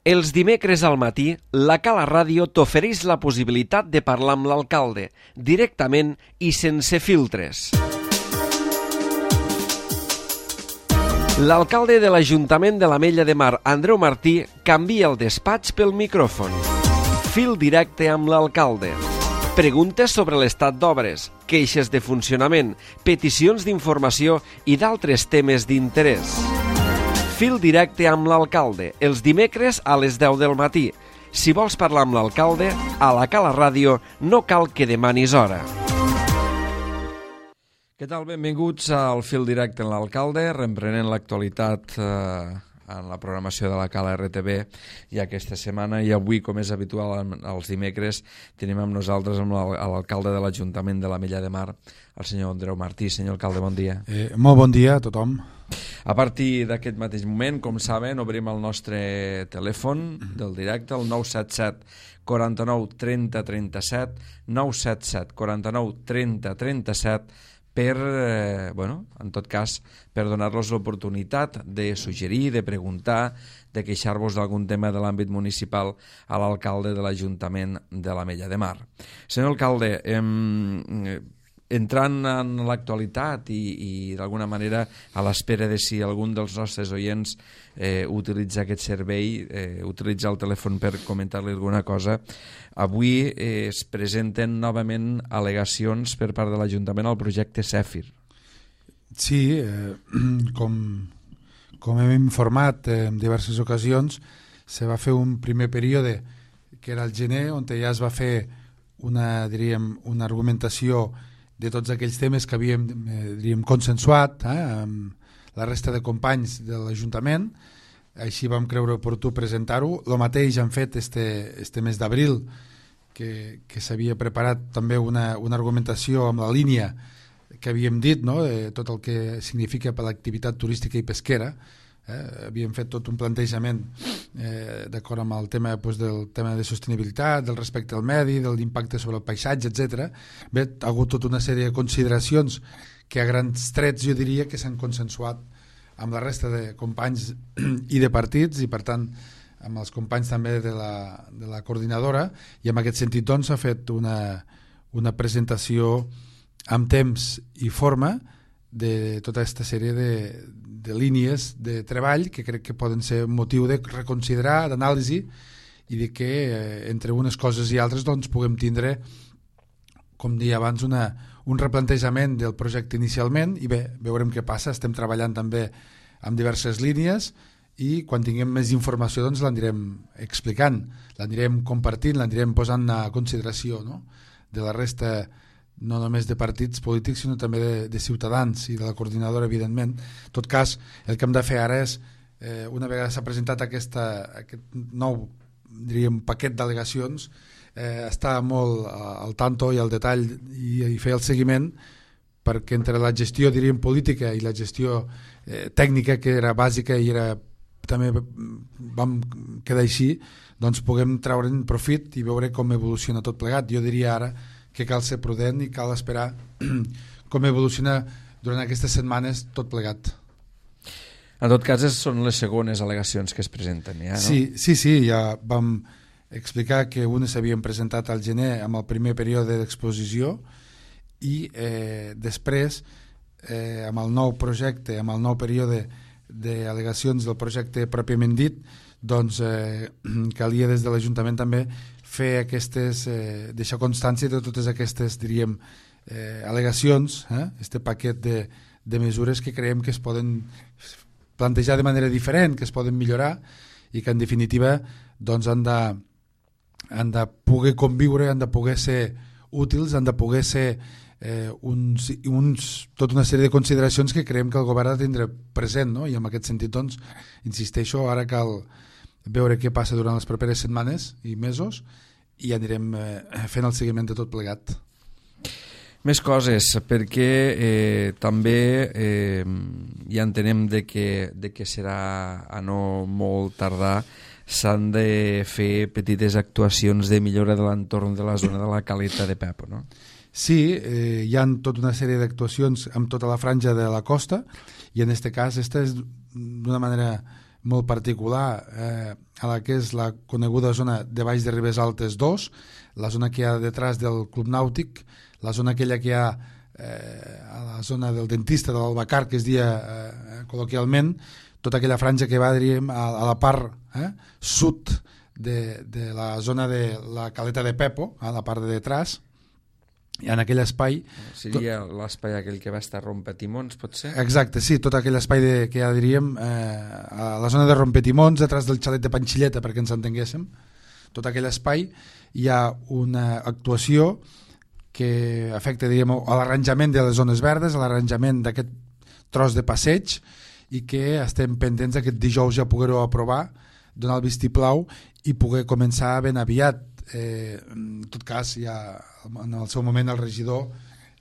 Els dimecres al matí, la Cala Ràdio t'ofereix la possibilitat de parlar amb l'alcalde, directament i sense filtres. L'alcalde de l'Ajuntament de l'Ametlla de Mar, Andreu Martí, canvia el despatx pel micròfon. Fil directe amb l'alcalde. Preguntes sobre l'estat d'obres, queixes de funcionament, peticions d'informació i d'altres temes d'interès. Fil directe amb l'alcalde, els dimecres a les 10 del matí. Si vols parlar amb l'alcalde, a la Cala Ràdio no cal que demanis hora. Què tal? Benvinguts al Fil directe amb l'alcalde, reprenent l'actualitat en la programació de la Cala RTV i aquesta setmana, i avui, com és habitual els dimecres, tenim amb nosaltres l'alcalde de l'Ajuntament de l'Ametlla de Mar, el senyor Andreu Martí. Senyor alcalde, bon dia. Molt bon dia a tothom. A partir d'aquest mateix moment, com saben, obrim el nostre telèfon del directe, el 977 49 30 37, 977 49 30 37, per, en tot cas, per donar-los l'oportunitat de suggerir, de preguntar, de queixar-vos d'algun tema de l'àmbit municipal a l'alcalde de l'Ajuntament de l'Ametlla de Mar. Senyor alcalde, entrant en l'actualitat i d'alguna manera a l'espera de si algun dels nostres oients utilitza aquest servei, utilitza el telèfon per comentar-li alguna cosa, avui es presenten novament al·legacions per part de l'Ajuntament al projecte Zèfir. Sí, com hem informat en diverses ocasions, se va fer un primer període que era el gener, on ja es va fer una argumentació de tots aquells temes que havíem consensuat amb la resta de companys de l'Ajuntament. Així vam creure oportú presentar-ho. El mateix han fet este mes d'abril, que s'havia preparat també una argumentació amb la línia que havíem dit, no? De tot el que significa per l'activitat turística i pesquera. Havíem fet tot un plantejament d'acord amb el tema, del tema de sostenibilitat, del respecte al medi, de l'impacte sobre el paisatge, etc. Bé, ha hagut tota una sèrie de consideracions que a grans trets jo diria que s'han consensuat amb la resta de companys i de partits, i per tant amb els companys també de la coordinadora, i en aquest sentit doncs s'ha fet una presentació amb temps i forma de tota aquesta sèrie de línies de treball que crec que poden ser motiu de reconsiderar, d'anàlisi, i de que entre unes coses i altres doncs puguem tindre, com deia abans, un replantejament del projecte inicialment, i bé, veurem què passa. Estem treballant també amb diverses línies i quan tinguem més informació doncs l'anirem explicant, l'anirem compartint, l'anirem posant a consideració, no? De la resta, no només de partits polítics, sinó també de ciutadans i de la coordinadora, evidentment. En tot cas, el que hem de fer ara és, una vegada s'ha presentat aquest nou, diríem, paquet d'al·legacions, estar molt al tanto i al detall i fer el seguiment, perquè entre la gestió, diríem, política i la gestió tècnica, que era bàsica i també vam quedar així, doncs puguem treure'n profit i veure com evoluciona tot plegat. Jo diria ara que cal ser prudent i cal esperar com evoluciona durant aquestes setmanes tot plegat. En tot cas, són les segones al·legacions que es presenten, ja, no? Sí, ja vam explicar que unes s'havien presentat al gener amb el primer període d'exposició i després, amb el nou projecte, amb el nou període d'al·legacions del projecte pròpiament dit, doncs calia des de l'Ajuntament també fer deixar constància de totes aquestes, diríem, al·legacions, este paquet de mesures que creiem que es poden plantejar de manera diferent, que es poden millorar i que en definitiva doncs han de poder conviure, han de poder ser útils, han de poder ser tota una sèrie de consideracions que creiem que el govern ha de tindre present, no? I en aquest sentit doncs, insisteixo, ara cal veure què passa durant les properes setmanes i mesos i anirem fent el seguiment de tot plegat. Més coses, perquè també ja entenem de que serà a no molt tardar, s'han de fer petites actuacions de millora de l'entorn de la zona de la Caleta de Pepo, no? Sí, hi ha tota una sèrie d'actuacions amb tota la franja de la costa, i en aquest cas esta és d'una manera molt particular a la que és la coneguda zona de Baix de Ribes Altes 2, la zona que hi ha detrás del Club Nàutic, la zona aquella que hi ha a la zona del dentista de l'Albacar, que es dia col·loquialment, tota aquella franja que va, diríem, a la part sud de la zona de la Caleta de Pepo, a la part de detrás, i en aquell espai... Seria l'espai aquell que va estar Rompetimons, pot ser? Exacte, sí, tot aquell espai que ja diríem a la zona de Rompetimons, detrás del xalet de Panxilleta, perquè ens entenguéssim, tot aquell espai hi ha una actuació que afecta, diríem, a l'arranjament de les zones verdes, a l'arranjament d'aquest tros de passeig, i que estem pendents aquest dijous ja poder-ho aprovar, donar el vistiplau i poder començar ben aviat. En tot cas, ja en el seu moment el regidor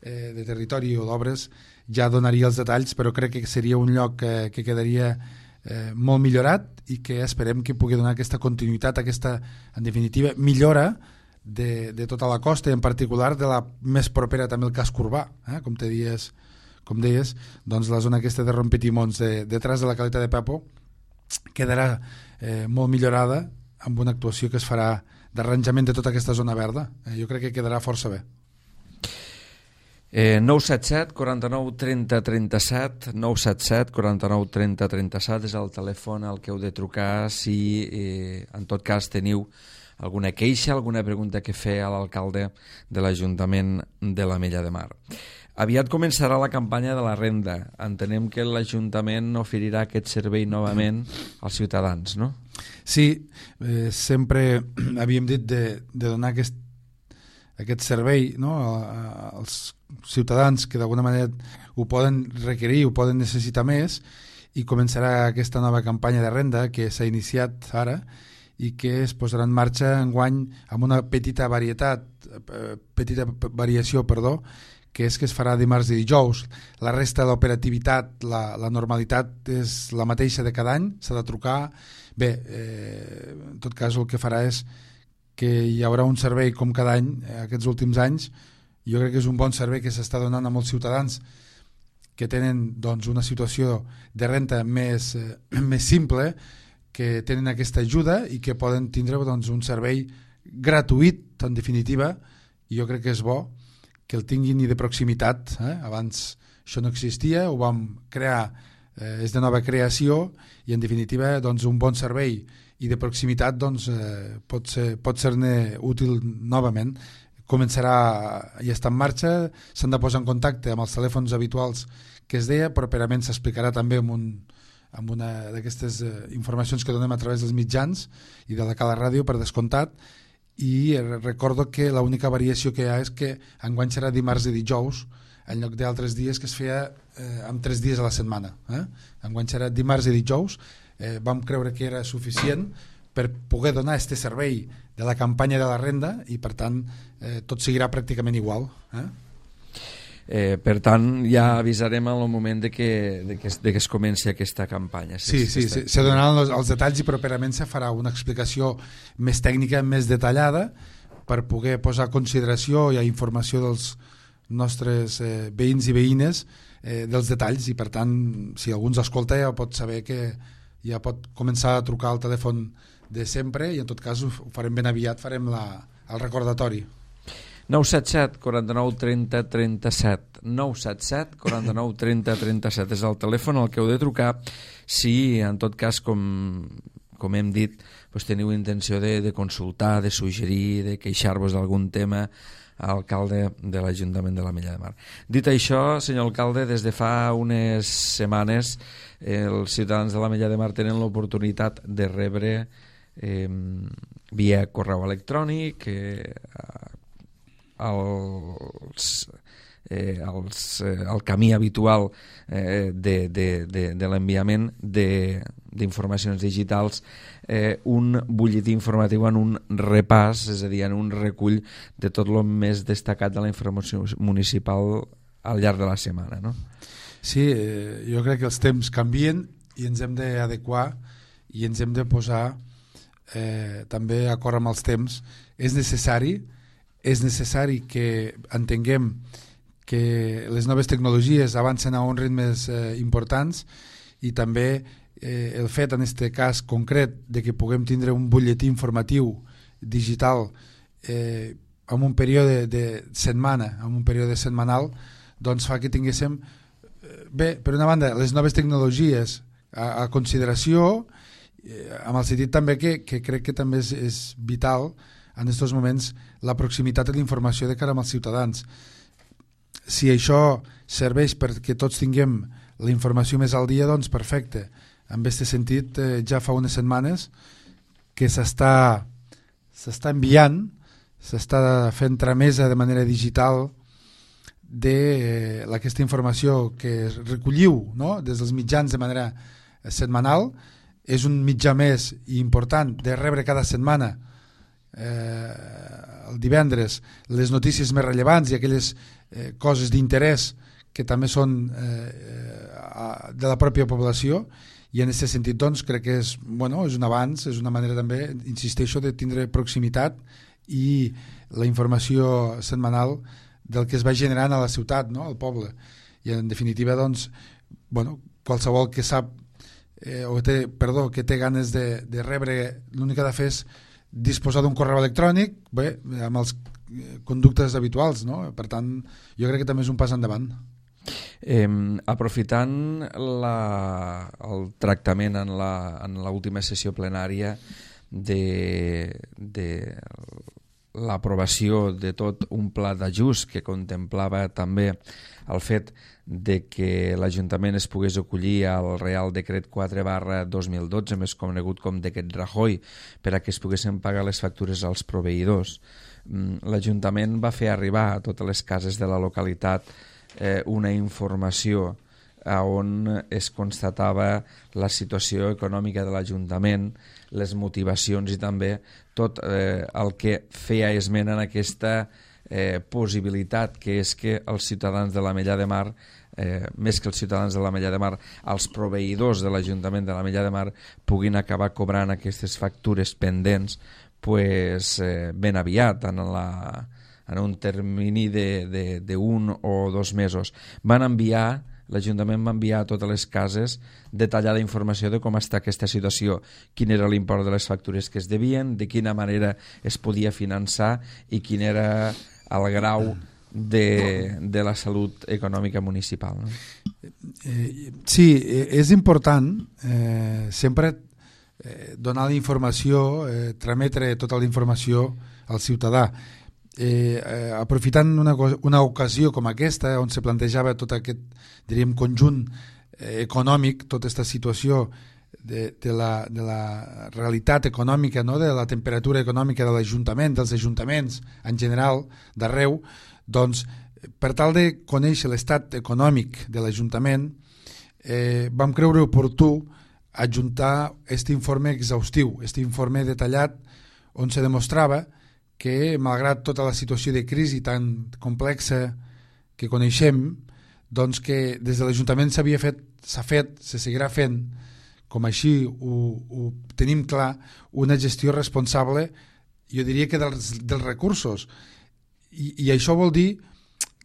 de Territori o d'Obres ja donaria els detalls, però crec que seria un lloc que quedaria molt millorat i que esperem que pugui donar aquesta continuïtat, aquesta, en definitiva, millora de tota la costa i en particular de la més propera també el casc urbà, com deies, doncs la zona aquesta de Rompetimons detrás de la Caleta de Pepo quedarà molt millorada amb una actuació que es farà d'arranjament de tota aquesta zona verda. Jo crec que quedarà força bé. 977 49 30 37 977 49 30 37 és el telèfon al que heu de trucar si en tot cas teniu alguna queixa, alguna pregunta que fer a l'alcalde de l'Ajuntament de l'Ametlla de Mar. Aviat començarà la campanya de la renda. Entenem que l'Ajuntament oferirà aquest servei novament als ciutadans, no? Sí, sempre havíem dit de donar aquest servei, no, als ciutadans que d'alguna manera ho poden requerir, ho poden necessitar més, i començarà aquesta nova campanya de renda que s'ha iniciat ara i que es posarà en marxa enguany amb una petita variació, que és que es farà dimarts i dijous. La resta de l'operativitat, la normalitat és la mateixa de cada any, s'ha de trucar. Bé, en tot cas el que farà és que hi haurà un servei com cada any, aquests últims anys. Jo crec que és un bon servei que s'està donant a molts ciutadans que tenen doncs, una situació de renta més simple, que tenen aquesta ajuda i que poden tindre doncs, un servei gratuït, en definitiva, i jo crec que és bo que el tinguin i de proximitat. Abans això no existia, ho vam crear, és de nova creació, i en definitiva doncs, un bon servei i de proximitat doncs, pot ser-ne útil novament. Començarà i està en marxa, s'han de posar en contacte amb els telèfons habituals que es deia, properament s'explicarà també amb una d'aquestes informacions que donem a través dels mitjans i de la Cala Ràdio, per descomptat, i recordo que l'única variació que hi ha és que enguany serà dimarts i dijous en lloc d'altres dies que es feia amb 3 dies a la setmana. Enguany serà dimarts i dijous. Vam creure que era suficient per poder donar aquest servei de la campanya de la renda i per tant tot seguirà pràcticament igual. Per tant ja avisarem en el moment de que es comenci aquesta campanya. Sí, se donaran els detalls i properament se farà una explicació més tècnica, més detallada, per poder posar a consideració i a informació dels nostres veïns i veïnes dels detalls, i per tant si algú ens escolta ja pot saber que ja pot començar a trucar al telèfon de sempre, i en tot cas ho farem ben aviat, farem el recordatori. 977 49 30 37 977 49 30 37 és el telèfon al que heu de trucar si en tot cas com hem dit doncs teniu intenció de consultar, de suggerir, de queixar-vos d'algun tema a l'alcalde de l'Ajuntament de l'Ametlla de Mar. Dit això, senyor alcalde, des de fa unes setmanes els ciutadans de l'Ametlla de Mar tenen l'oportunitat de rebre via correu electrònic el camí habitual de l'enviament d'informacions digitals, un butlletí informatiu en un repàs, és a dir, en un recull de tot el més destacat de la informació municipal al llarg de la setmana, no? Sí, jo crec que els temps canvien i ens hem d'adequar i ens hem de posar també d'acord amb els temps. És necessari que entenguem que les noves tecnologies avancen a uns ritmes importants i també el fet, en aquest cas concret, de que puguem tindre un butlletí informatiu digital en un període de setmana, en un període setmanal, doncs fa que tinguéssim, bé, per una banda, les noves tecnologies a consideració, amb el sentit també que crec que també és vital en aquests moments la proximitat de la informació de cara als ciutadans. Si això serveix perquè tots tinguem la informació més al dia, doncs perfecte. En aquest sentit, ja fa unes setmanes que s'està enviant, s'està fent tramesa de manera digital d'aquesta informació que recolliu, no?, des dels mitjans de manera setmanal. És un mitjà més important de rebre cada setmana, el divendres, les notícies més rellevants i aquelles coses d'interès que també són de la pròpia població, i en aquest sentit doncs, crec que és un avanç, és una manera també, insisteixo, de tindre proximitat i la informació setmanal del que es va generant a la ciutat, no?, al poble. I en definitiva, doncs, qualsevol que sap que té ganes de rebre, l'únic que ha de fer és disposar d'un correu electrònic, bé, amb els conductes habituals, no? Per tant, jo crec que també és un pas endavant. Aprofitant el tractament en l'última sessió plenària de l'aprovació de tot un pla d'ajust que contemplava també el fet de que l'Ajuntament es pogués acollir al Real Decret 4/2012, més conegut com Decret Rajoy, per a que es poguessin pagar les factures als proveïdors. L'Ajuntament va fer arribar a totes les cases de la localitat una informació on es constatava la situació econòmica de l'Ajuntament, les motivacions i també tot el que feia esment en aquesta possibilitat, que és que els ciutadans de l'Ametlla de Mar, més que els ciutadans de l'Ametlla de Mar, els proveïdors de l'Ajuntament de l'Ametlla de Mar puguin acabar cobrant aquestes factures pendents ben aviat, en un termini d'un o 2 mesos. L'Ajuntament va enviar a totes les cases detallada informació de com està aquesta situació, quin era l'import de les factures que es devien, de quina manera es podia finançar i quin era el grau de la salut econòmica municipal. Sí, és important sempre donar la informació, trametre tota la informació al ciutadà. Aprofitant una ocasió com aquesta, on se plantejava tot aquest, diríem, conjunt econòmic, tota aquesta situació de la realitat econòmica, no?, de la temperatura econòmica de l'Ajuntament, dels ajuntaments en general, d'arreu, doncs, per tal de conèixer l'estat econòmic de l'Ajuntament, vam creure oportú adjuntar aquest informe exhaustiu, aquest informe detallat, on se demostrava que, malgrat tota la situació de crisi tan complexa que coneixem, doncs que des de l'Ajuntament s'ha fet, se seguirà fent, com així ho tenim clar, una gestió responsable, jo diria que dels recursos. I això vol dir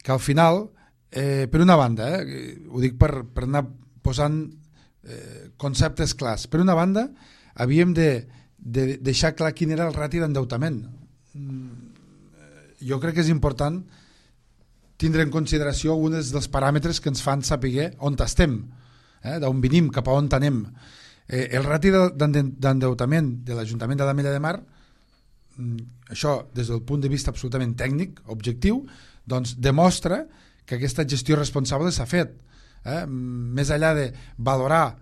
que al final, per una banda, ho dic per anar posant conceptes clars, per una banda havíem de deixar clar quin era el rati d'endeutament. Jo crec que és important tindre en consideració alguns dels paràmetres que ens fan saber on estem, d'on venim, cap a on anem. El rati d'endeutament de l'Ajuntament de l'Ametlla de Mar, això des del punt de vista absolutament tècnic, objectiu, doncs demostra que aquesta gestió responsable s'ha fet. Més enllà de valorar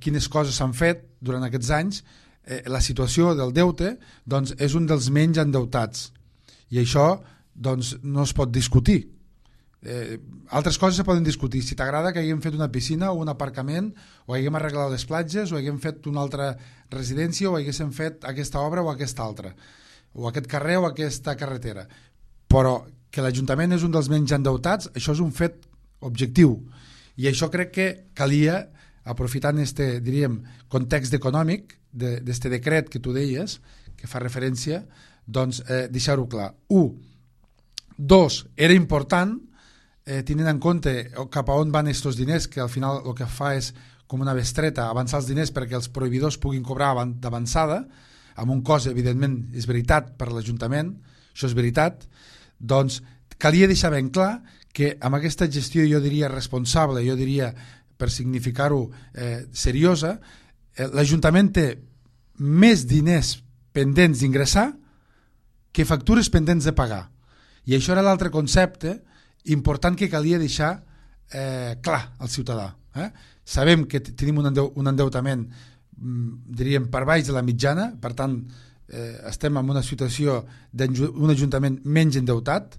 quines coses s'han fet durant aquests anys, la situació del deute doncs, és un dels menys endeutats, i això doncs, no es pot discutir. Altres coses se poden discutir, si t'agrada que haguem fet una piscina o un aparcament, o haguem arreglat les platges, o haguem fet una altra residència, o haguéssim fet aquesta obra o aquesta altra, o aquest carrer o aquesta carretera, però que l'Ajuntament és un dels menys endeutats, això és un fet objectiu, i això crec que calia, aprofitant este, diríem, context econòmic d'este decret que tu deies, que fa referència, doncs deixar-ho clar. 1. 2. Era important, tenint en compte cap a on van aquests diners, que al final el que fa és com una bestreta, avançar els diners perquè els proveïdors puguin cobrar d'avançada, amb un cost, evidentment, és veritat per l'Ajuntament, això és veritat, doncs calia deixar ben clar que amb aquesta gestió, jo diria responsable, jo diria, per significar-ho, seriosa, l'Ajuntament té més diners pendents d'ingressar que factures pendents de pagar. I això era l'altre concepte important que calia deixar clar al ciutadà. Sabem que tenim un endeutament, diríem, per baix de la mitjana, per tant, estem en una situació d'un ajuntament menys endeutat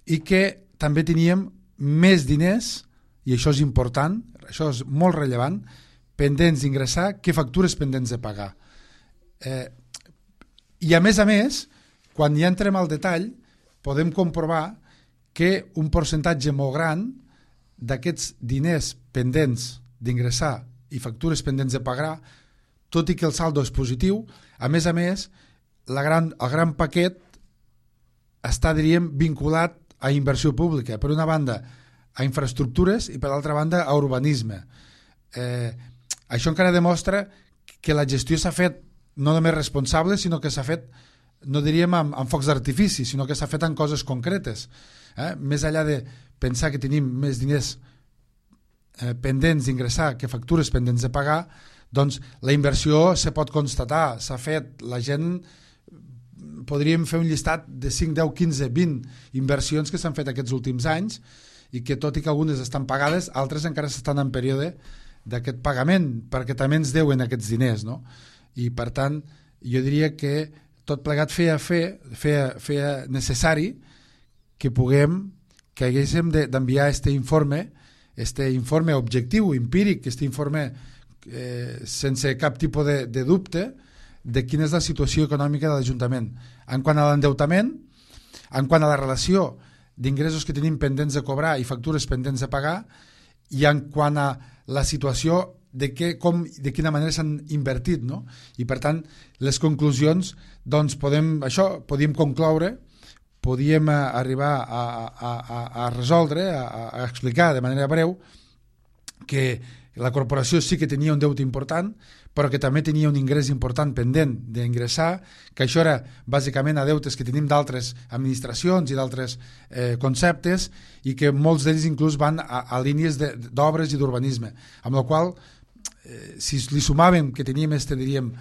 i que també teníem més diners, i això és important, això és molt rellevant, pendents d'ingressar que factures pendents de pagar. I a més, quan ja entrem al detall, podem comprovar que un percentatge molt gran d'aquests diners pendents d'ingressar i factures pendents de pagar, tot i que el saldo és positiu, a més, el gran paquet està, diríem, vinculat a inversió pública, per una banda a infraestructures i per l'altra banda a urbanisme. Això encara demostra que la gestió s'ha fet no només responsable, sinó que s'ha fet, no diríem amb focs d'artifici, sinó que s'ha fet en coses concretes. Més enllà de pensar que tenim més diners pendents d'ingressar que factures pendents de pagar, doncs la inversió se pot constatar, s'ha fet, la gent, podríem fer un llistat de 5, 10, 15, 20 inversions que s'han fet aquests últims anys i que tot i que algunes estan pagades, altres encara estan en període d'aquest pagament, perquè també ens deuen aquests diners, no? I per tant, jo diria que tot plegat feia necessari que haguéssim d'enviar este informe objectiu, empíric, este informe sense cap tipus de dubte de quina és la situació econòmica de l'Ajuntament. En quant a l'endeutament, en quant a la relació d'ingressos que tenim pendents de cobrar i factures pendents de pagar, i en quant a la situació de quina manera s'han invertit, no? I per tant, les conclusions, doncs podíem concloure, podíem arribar a resoldre, a explicar de manera breu que la corporació sí que tenia un deute important, però que també tenia un ingrés important pendent d'ingressar, que això era bàsicament a deutes que tenim d'altres administracions i d'altres conceptes, i que molts d'ells inclús van a línies d'obres i d'urbanisme, amb la qual si li sumàvem que teníem diríem,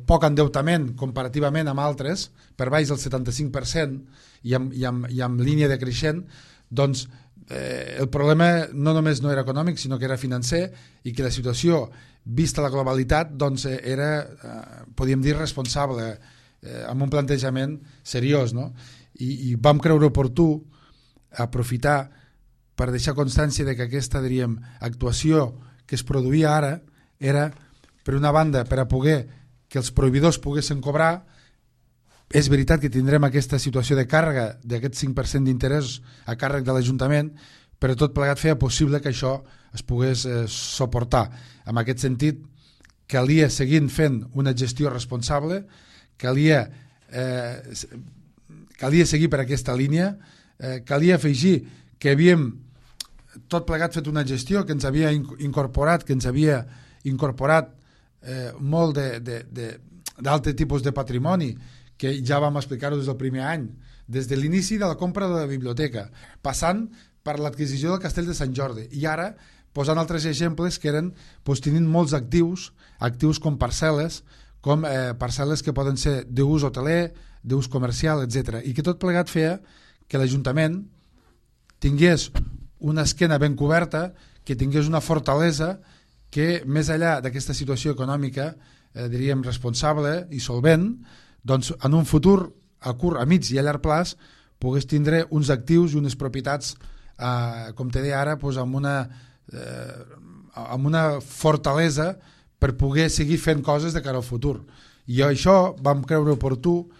poc endeutament comparativament amb altres, per baix del 75% i amb línia decreixent, doncs el problema no només no era econòmic, sinó que era financer, i que la situació, vista la globalitat, doncs era, podríem dir, responsable, amb un plantejament seriós, no? I vam creure oportú aprofitar per deixar constància de que aquesta, diríem, actuació que es produïa ara era, per una banda, per a poder que els proveïdors poguessin cobrar. És veritat que tindrem aquesta situació de càrrega d'aquest 5% d'interès a càrrec de l'Ajuntament, però tot plegat feia possible que això es pogués suportar. En aquest sentit, calia seguir fent una gestió responsable, calia seguir per aquesta línia, calia afegir que havíem tot plegat fet una gestió que ens havia incorporat, molt d'altre tipus de patrimoni, que ja vam explicar-ho des del primer any, des de l'inici de la compra de la biblioteca, passant per l'adquisició del Castell de Sant Jordi, i ara posant altres exemples que eren tenint molts actius com parcel·les, que poden ser d'ús hoteler, d'ús comercial, etc. I que tot plegat feia que l'Ajuntament tingués una esquena ben coberta, que tingués una fortalesa que, més enllà d'aquesta situació econòmica, diríem responsable i solvent, doncs en un futur a curt, a mig i a llarg plaç pogués tindre uns actius i unes propietats, com te deia ara, amb una fortalesa per poder seguir fent coses de cara al futur. I això vam creure oportú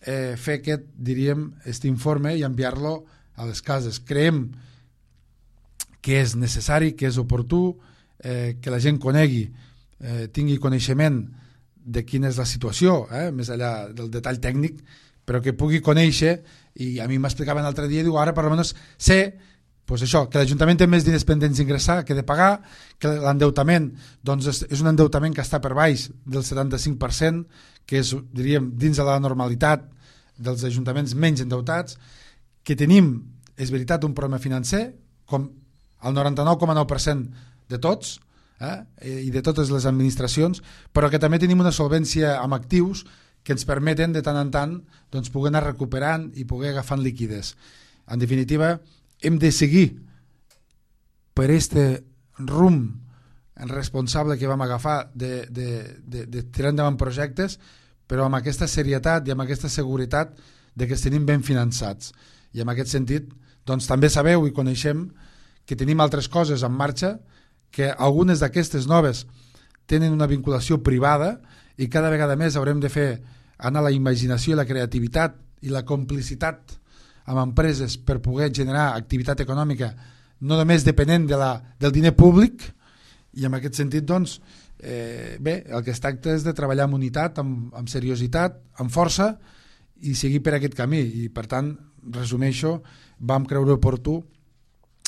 fer aquest informe i enviar-lo a les cases. Creiem que és necessari, que és oportú, que la gent conegui, tingui coneixement de quina és la situació, més enllà del detall tècnic, però que pugui conèixer, i a mi m'explicaven l'altre dia, diu, ara per almenys sé pues això, que l'Ajuntament té més diners pendents d'ingressar que de pagar, que l'endeutament doncs, és un endeutament que està per baix del 75%, que és, diríem, dins de la normalitat dels ajuntaments menys endeutats, que tenim, és veritat, un problema financer, com el 99,9% de tots, i de totes les administracions, però que també tenim una solvència amb actius que ens permeten de tant en tant doncs, poder anar recuperant i poder agafant liquides. En definitiva, hem de seguir per este rumb responsable que vam agafar de tirar endavant projectes, però amb aquesta serietat i amb aquesta seguretat de que els tenim ben finançats. I en aquest sentit, doncs, també sabeu i coneixem que tenim altres coses en marxa, que algunes d'aquestes noves tenen una vinculació privada i cada vegada més haurem de fer anar la imaginació i la creativitat i la complicitat amb empreses per poder generar activitat econòmica no només depenent del diner públic, i en aquest sentit doncs, bé, el que es tracta és de treballar amb unitat, amb seriositat, amb força i seguir per aquest camí. I per tant, resumeixo, vam creure oportú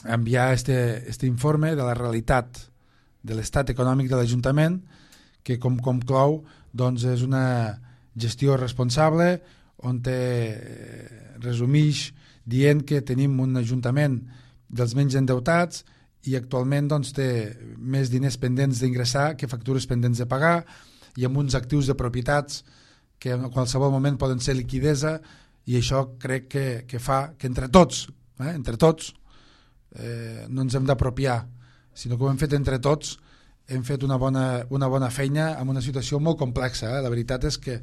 enviar este informe de la realitat de l'estat econòmic de l'Ajuntament, que com conclou doncs, és una gestió responsable on resumeix dient que tenim un Ajuntament dels menys endeutats i actualment doncs, té més diners pendents d'ingressar que factures pendents de pagar i amb uns actius de propietats que en qualsevol moment poden ser liquidesa, i això crec que fa que entre tots no ens hem d'apropiar, sinó que ho hem fet entre tots, hem fet una bona feina en una situació molt complexa. La veritat és que,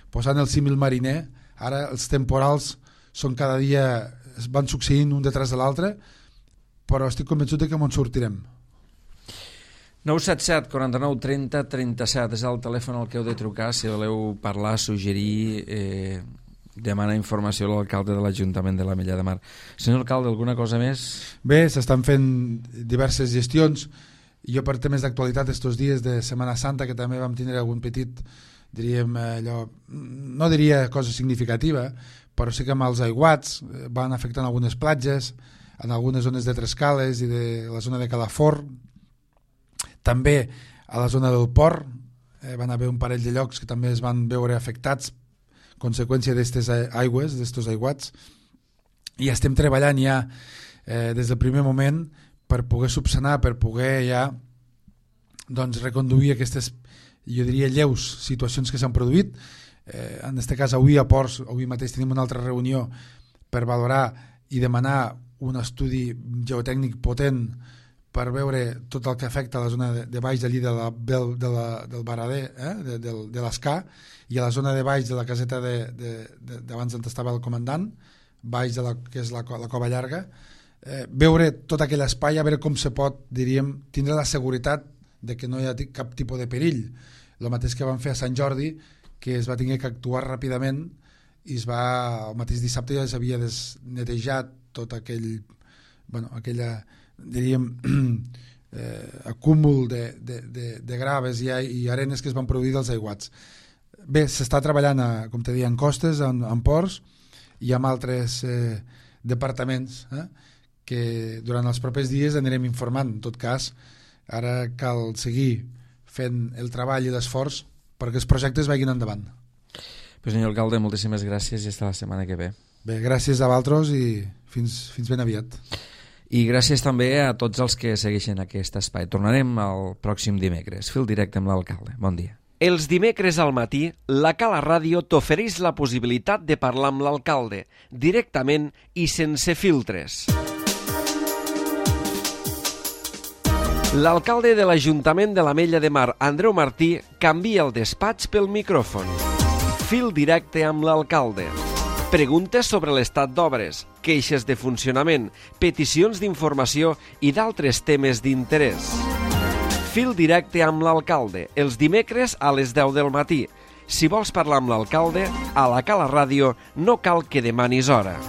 posant el símil mariner, ara els temporals són cada dia, es van succeint un detrás de l'altre, però estic convençut que ens sortirem. 977 49 30 37 és el telèfon al que heu de trucar si voleu parlar, suggerir, demanar informació a l'alcalde de l'Ajuntament de l'Ametlla de Mar. Senyor alcalde, alguna cosa més? Bé, s'estan fent diverses gestions. Jo per temes d'actualitat estos dies de Setmana Santa, que també vam tindre algun petit, diríem, allò, no diria cosa significativa, però sí que amb els aiguats van afectant algunes platges, en algunes zones de Trescales i de la zona de Calafort, també a la zona del Port van haver un parell de llocs que també es van veure afectats conseqüència d'aquestes aigües, d'aquests aiguats, i estem treballant ja des del primer moment per poder subsanar, per poder ja doncs, reconduir aquestes, jo diria, lleus situacions que s'han produït. En aquest cas, avui a Ports, avui mateix tenim una altra reunió per valorar i demanar un estudi geotècnic potent per veure tot el que afecta a la zona de baix d'allí del Barader, de l'Escà, i a la zona de baix de la caseta d'abans on estava el comandant, baix de que és la Cova Llarga, veure tot aquell espai, a veure com se pot, diríem, tindre la seguretat de que no hi ha cap tipus de perill. El mateix que van fer a Sant Jordi, que es va tenir que actuar ràpidament i el mateix dissabte ja s'havia netejat tot aquella, diríem, acúmul de graves i arenes que es van produir dels aiguats. Bé, s'està treballant, com te deia, en costes, en ports i amb altres departaments que durant els propers dies anirem informant. En tot cas, ara cal seguir fent el treball i l'esforç perquè els projectes vagin endavant. Pues senyor alcalde, moltíssimes gràcies i fins la setmana que ve. Bé, gràcies a vosaltres i fins ben aviat. I gràcies també a tots els que segueixen aquest espai. Tornarem el pròxim dimecres. Fil directe amb l'alcalde. Bon dia. Els dimecres al matí, la Cala Ràdio t'ofereix la possibilitat de parlar amb l'alcalde, directament i sense filtres. L'alcalde de l'Ajuntament de l'Ametlla de Mar, Andreu Martí, canvia el despatx pel micròfon. Fil directe amb l'alcalde. Preguntes sobre l'estat d'obres, queixes de funcionament, peticions d'informació i d'altres temes d'interès. Fil directe amb l'alcalde, els dimecres a les 10 del matí. Si vols parlar amb l'alcalde, a la Cala Ràdio no cal que demanis hora.